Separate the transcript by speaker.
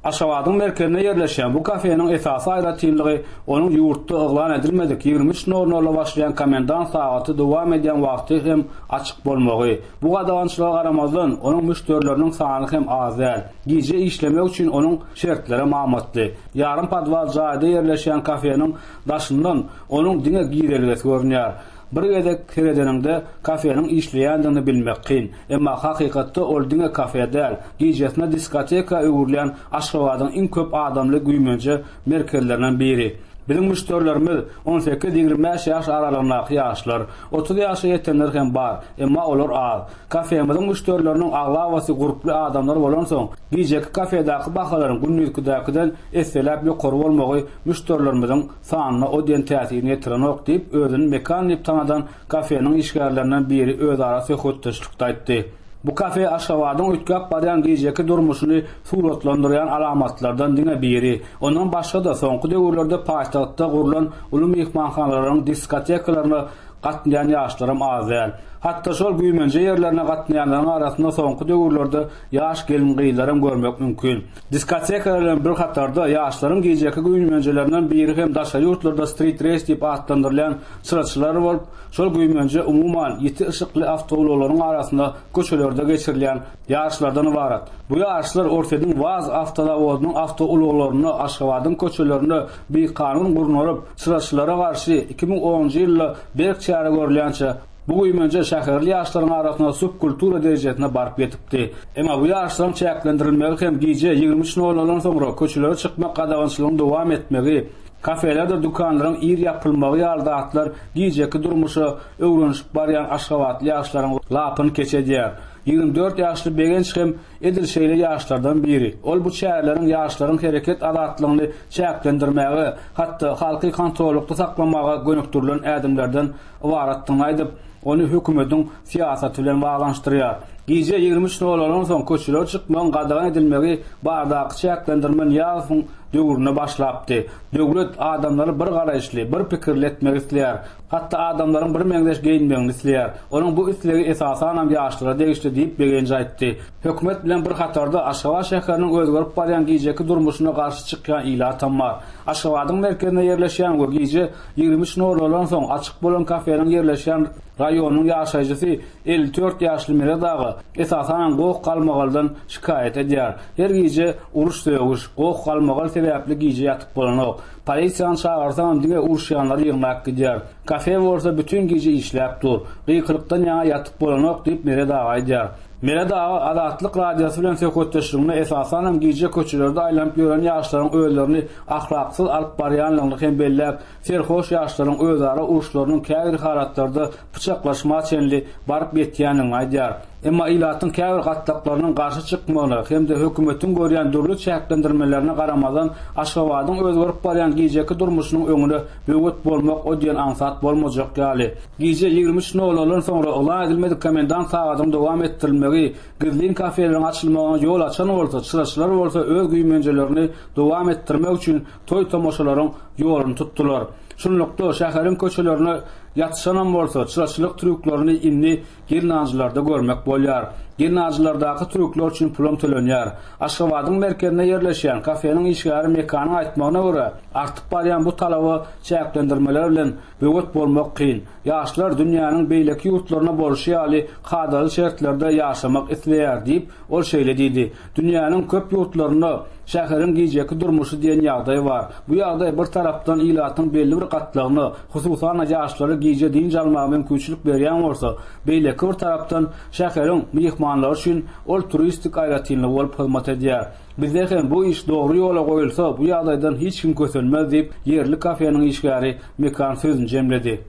Speaker 1: Aşgabadyň merkezinde ýerleşýän bu kafeniň esasy aýratynlygy onuň ýurtda yglan edilmedik 23 nol-nolda başlaýan komendant sagaty dowam edýän wagty hem açyk bolmagy. Bu gadagançylyga garamazdan, onuň müşderileriniň sany hem az däl. Gije işlemek üçin onuň şertlerem amatly. Ýarym podwal jaýda ýerleşýän kafeniň daşyndan onuň diňe girelgesi görünýär. Bir gezek seredeniňde kafeniň işleýändigini bilmek kyn. Emma hakykatda ol diňe kafe däl, gijesine diskoteka öwrülýän Aşgabadyň iň köp adamly güýmenje merkezlerinden biri. Biziň müşderilerimiz 18-25 ýaş aralygyndaky ýaşlar. 30 ýaşa ýetenler hem bar, emma olar az. Kafemiziň müşderileriniň aglabasy gurply adamlar bolansoň, gijeki kafedaky bahalaryň gündizkidäkiden esseläp ýokary bolmagy müşderilerimiziň sanyna o diýen täsirini ýetirenok diýip, özüni Mekan diýip tanadan kafeniň işgärlerinden biri özara söhbetdeşlikde aýtdy. Bu kafe Aşgabadyň üýtgäp barýan gijeki durmuşyny suratlandyrýan alamatlardan diňe biri. Ondan başga-da, soňky döwürlerde paýtagtda gurlan uly myhmanhanalaryň diskotekalaryna gatnaýan ýaşlaram az däl. Hatda şol güýmenje ýerlerine gatnaýanlaryň arasynda soňky döwürlerde ýaş gelin-gyzlaram görmek mümkin. Diskotekalar bilen bir hatarda, ýaşlaryň gijeki güýmenjelerinden biri hem daşary ýurtlarda street race diýip atlandyrylýan çyraçylar bolup, şol güýmenje umuman, ýiti yşykly awtoulaglaryň arasynda köçelerde geçirilýän ýaryşlardan ybarat. Bu ýaryşlar Orsýetiň WAZ awtozawodynyň awtoulaglarynda Aşgabadyň köçelerinde bikanun gurnalyp, çyraçylara garşy 2010-njy ýylda berk çäre görülýänçä, Bu güýmenje şäherli ýaşlaryň arasynda subkultura derejesine baryp ýetipdi. Emma bu ýaşlaryň çäklendirilmegi hem gije 23 nol-noldan soňra köçelere çykmak gadagançylygyň dowam etmegi, kafelerdir dükanlaryň ir ýapylmagy ýaly zatlar gijeki durmuşa öwrenişip barýan aşgabatly ýaşlaryň lapyny keç edýär. 24 ýaşly Begenç hem edil şeýle ýaşlardan biri. Ol bu çäreleriň ýaşlaryň hereket azatlygyny çäklendirmäge, hatda halky kontrollykda saklamaga gönükdirilen ädimlerden ybaratdygyny aýdyp, ony hökümetiň syýasaty bilen baglanyşdyrýar. Gije 23 nollardan soň köçelere çykmagyň gadagan edilmegi baradaky çäklendirme Nyýazowyň döwründe başlapdy. Döwlet adamlary bir garaýyşly, bir pikirli etmek isleýär. Hatda adamlaryň birmeňzeş geýinmegini isleýär. Onuň bu islegi esasanam ýaşlara degişli diýip, Begenç aýtdy. Hökümet bilen bir hatarda Aşgabat şäheriniň özgerip barýan gijeki durmuşyna garşy çykýan ilatam bar. Aşgabadyň merkezinde ýerleşýän we gije 23 nollardan soň açyk bolan kafeniň ýerleşýän raýonynyň ýaşaýjysy 54 ýaşly Meret aga, esasanam goh-galmagaldan şikaýat edýär. Her gije uruş-sögüş, goh-galmagal sebäpli gije ýatyp bolanok. Polisiýany çagyrsaňam diňe uruşýanlary ýygnap gidýär. Kafe bolsa bütin gije işläp dur. Gykylykdan ýaňa ýatyp bolanok diýip Meret aga aýdýar. Meret aga Azatlyk Radiosy bilen söhbetdeşliginde esasanam gije köçelerde aýlanyp ýören ýaşlaryň özlerini ahlaksyz alyp barýanlygyny hem belläp, serhoş ýaşlaryň özara uruşlarynyň käbir halatlarda pyçaklaşma çenli baryp ýetýändigini aýdýar. Emma ilatyň käbir gatlaklarynyň garşy çykmagyna hem-de hökümetiň görýän dürli çäklendirmelerine garamazdan Aşgabadyň özgerip barýan gijeki durmuşynyň öňüne böwet bolmak o diýen aňsat bolmajak ýaly. Gije 23 nol-noldan soňra yglan edilmedik komendant sagadynyň dowam etdirilmegi gizlin kafeleriň açylmagyna ýol açan bolsa, çyraçylar bolsa öz güýmenjelerini dowam etdirmek üçin toý-tomaşalaryň ýoluny tutdular. Şunlukda, şäheriň köçelerine ýatyşanam bolsa, çyraçylyk trýuklaryny indi gelnaljylarda görmek bolýar. Gelnaljylardaky trýuklar üçin pulam tölenýär. Aşgabadyň merkezinde ýerleşýän kafeniň işgäri Mekanyň aýtmagyna görä, artyp barýan bu talaba çäklendirmeler bilen böwet bolmak kyn. Ýaşlar dünýäniň beýleki ýurtlarynda bolşy ýaly kadaly şertlerde ýaşamak isleýär diýip, ol şeýle diýdi, Dünýäniň köp ýurtlarynda şäheriň gijeki durmuşy diýen ýagdaý bar. Bu ýagdaý bir tarapdan ilatyň belli bir gatlagyna, hususan-da ýaşlara gije dynç almaga mümkinçilik berýän bolsa, beýleki bir tarapdan şäheriň myhmanlary üçin ol turistik aýratynlygy bolup hyzmat edýär. Bizde hem bu iş dogry ýola goýulsa, bu ýagdaýdan hiç kim kösenmez diýip, ýerli kafeniň işgäri Mekan sözüni jemledi.